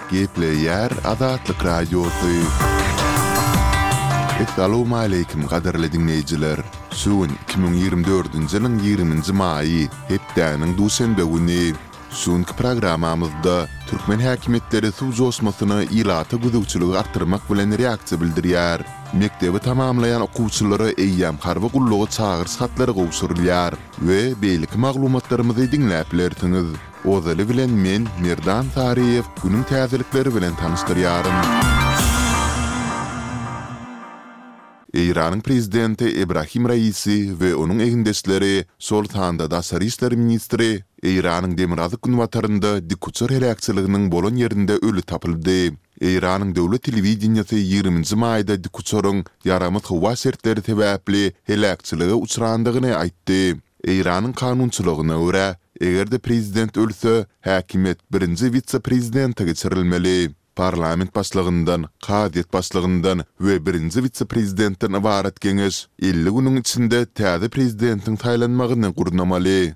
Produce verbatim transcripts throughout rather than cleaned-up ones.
Gepleýär Azatlyk Radiosy. Essalawmaleýkim gadyrly diňleýjiler! Şu gün iki müň ýigrimi dördünji ýylyň ýigriminji maýy, hepdäniň duşenbe güni. Şu günki programmamyzda türkmen häkimiýetleri suw joşmasyna ilata gözegçiligi artdyrmak bilen reaksiýa bildirýär. Mekdebi tamamlaýan okuwçylara eýýäm harby gulluga çagyryş hatlary gowşurylýar we beýleki maglumatlarymyzy diňläp bilersiňiz. Ozaly bilen men, Merdan Saryýew, günüň täzelikleri bilen tanyşdyrýaryn. Eýranyň prezidenti Ebrahim Raisi we onuň egindeşleri, şol sanda daşary işler ministri Eýranyň demirgazyk-günbatarynda dikuçar heläkçiliginiň bolan ýerinde öli tapyldy. Eýranyň döwlet telewideniýesi ýigriminji maýda dikuçaryň ýaramaz howa şertleri sebäpli heläkçilige uçrandygyny aýtdy. Eýranyň kanunçylygyna görä, eger-de prezident ölse, häkimiýet birinji wise-prezidente geçirilmeli. Parlament başlygyndan, kazyýet başlygyndan we birinji wise-prezidentden ybarat geňeş elli günüň içinde täze prezidentiň saýlanmagyny gurnamaly.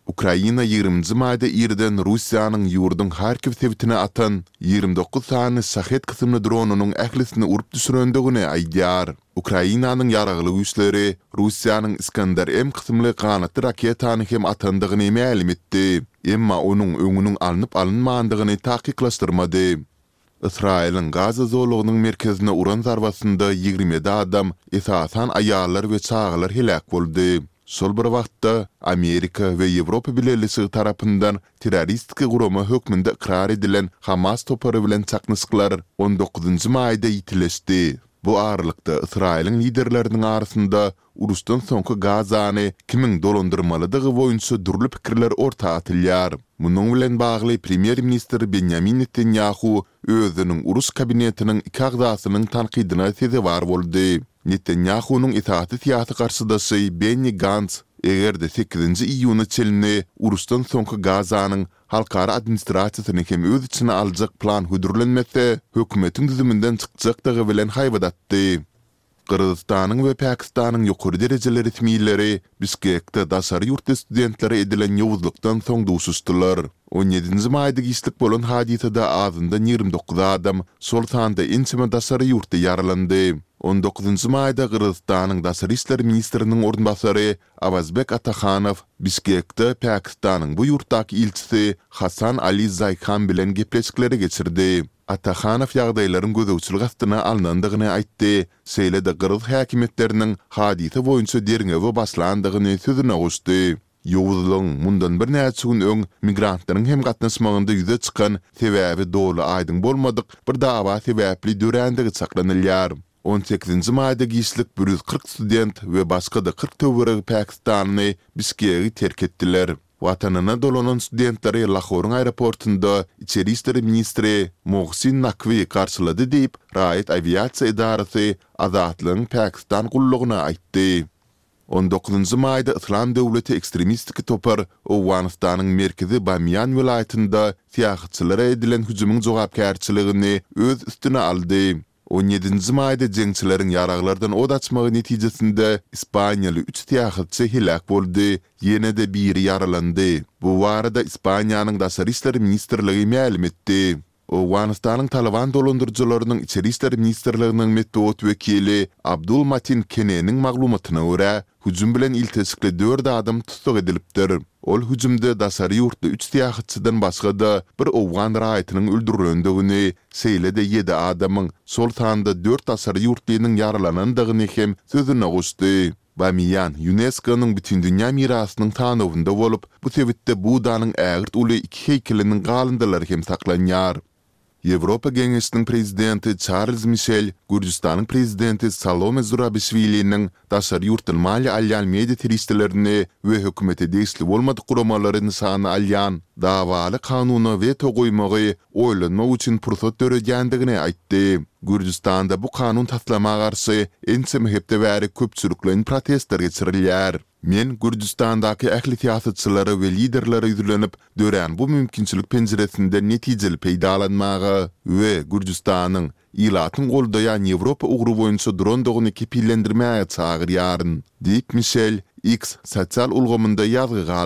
Ukraina ýigriminji maýda irden Russiýanyň ýurduň Harkiw sebitine atan ýigrimi dokuz sany Şahed kysymly dronynyň ählisini urup düşürendigini aýdýar. Ukrainanyň Ýaragly Güýçleri Russiýanyň Iskander-M kysymly ganatly raketany hem atandygyny mälim etdi, emma onuň öňüniň alnyp-alynmandygyny takyklaşdyrmady. Ysraýylyň Gaza zolagynyň merkezine uran zarbasynda ýigrimi ýedi adam, esasan aýallar we çagalar heläk boldy. Şol bir wagtda, Amerika we Ýewropa Bileleşigi tarapyndan terroristik gurama hökmünde ykrar edilen Hamas topary bilen çaknyşyklar on dokuzynjy maýda ýitileşdi. Bu aralykda, Ysraýylyň liderleriniň arasynda uruşdan soňky Gazany kimiň dolandyrmalydygy boýunça dürli pikirler orta atylýar. Munuň bilen bagly premýer-ministr Benýamin Netanýahu özüniň uruş kabinetiniň iki agzasynyň tankydyna sezewar boldy. Netanýahunyň esasy syýasy garşydaşy Benni Gants eger-de sekizinji iýuna çenli uruşdan soňky Gazanyň halkara administrasiýasyny hem öz içine aljak plan hödürlenmese, hökümetiň düzüminden çykjakdygy bilen haýbat atdy. Gyrgyzystanyň we Pakistanyň ýokary derejeli resmileri Bişkekde daşary ýurtly studentlere edilen ýowuzlykdan soň duşuşdylar. On ýedinji maýda giçlik bolan hadysada azyndan ýigrimi dokuz adam, şol sanda ençeme daşary ýurtly ýaralandy. On dokuzynjy maýda Gyrgyzystanyň daşary işler ministriniň orunbasary Awazbek Atahanow Bişkekde Pakistanyň bu ýurtdaky ilçisi Hasan Ali Zaýhan bilen gepleşikleri geçirdi. Atahanow ýagdaýlaryň gözegçilik astyna alnandygyny aýtdy, şeýle-de gyrgyz häkimiýetleriniň hadysa boýunça derňewe başlandygyny sözüne goşdy. Ýowuzlygyň mundan birnäçe gün öň migrantlaryň hem gatnaşmagynda ýüze çykan sebäbi doly aýdyň bolmadyk bir dawa sebäpli dörändigi çaklanylýar. On sekizinji maýda giçlik bir ýüz kyrk student we başga-da kyrk töweregi pakistanly Bişkegi terk etdiler. Watanyna dolanan studentleri Lahoryň aeroportynda içeri işler ministri Mohsin Nakwi garşylady diýip, raýat awiasiýa edarasy Azatlygyň Pakistan gullugyna aýtdy. On dokuzynjy maýda Yslam döwleti ekstremistik topar Owganystanyň merkezi Bamiýan welaýatynda syýahatçylara edilen hüjümiň jogapkärçiligini öz üstüne aldy. On ýedinji maýda jeňçileriň ýaraglardan ot açmagy netijesinde ispaniýaly üç syýahatçy heläk boldy, ýene-de biri ýaralandy. Bu barada Ispaniýanyň Daşary işler ministrligi mälim etdi. Owganystanyň Talyban dolandyryjylarynyň Içeri işler ministrliginiň metbugat wekili Abdul Matin Keneniň maglumatyna görä, hüjüm bilen ilteşikli dört adam tussag edilipdir. Ol hüjümde daşary ýurtly üç syýahatçydan başga-da bir owgan raýatynyň öldürilendigini, şeýle-de ýedi adamyň, şol sanda dört daşary ýurtlynyň ýaralanandygyny hem sözüne goşdy. Bamiýan ÝUNESKO-nyň Bütindünýä mirasynyň sanawynda bolup, bu sebitde Buddanyň ägirt uly iki heýkeliniň galyndylary hem saklanýar. Ýewropa Geňeşiniň Prezidenti Çarlz Mişel Gürjüstanyň Prezidenti Salome Zurabişwiliniň daşary ýurtdan maliýe alýan media serişdelerini we hökümete degişli bolmadyk guramalary nyşana alýan dawaly kanuna weto goýmagy oýlanmak üçin pursat döredýändigini aýtdy. Gürjüstanda bu kanun taslama garşy ençeme hepde bäri köpçülikleýin protestler geçirilýär. Men Gürjüstandaky ähli syýasatçylara we liderlere ýüzlenip, dörän bu mümkinçilik penjiresinden netijeli peýdalanmaga we Gürjüstanyň ilatyň goldaýan Ýewropa ugry boýunça durandygyny kepillendirmäge çagyrýaryn, diýip, Mişel X sosial ulgamynda ýazgy galdyrdy.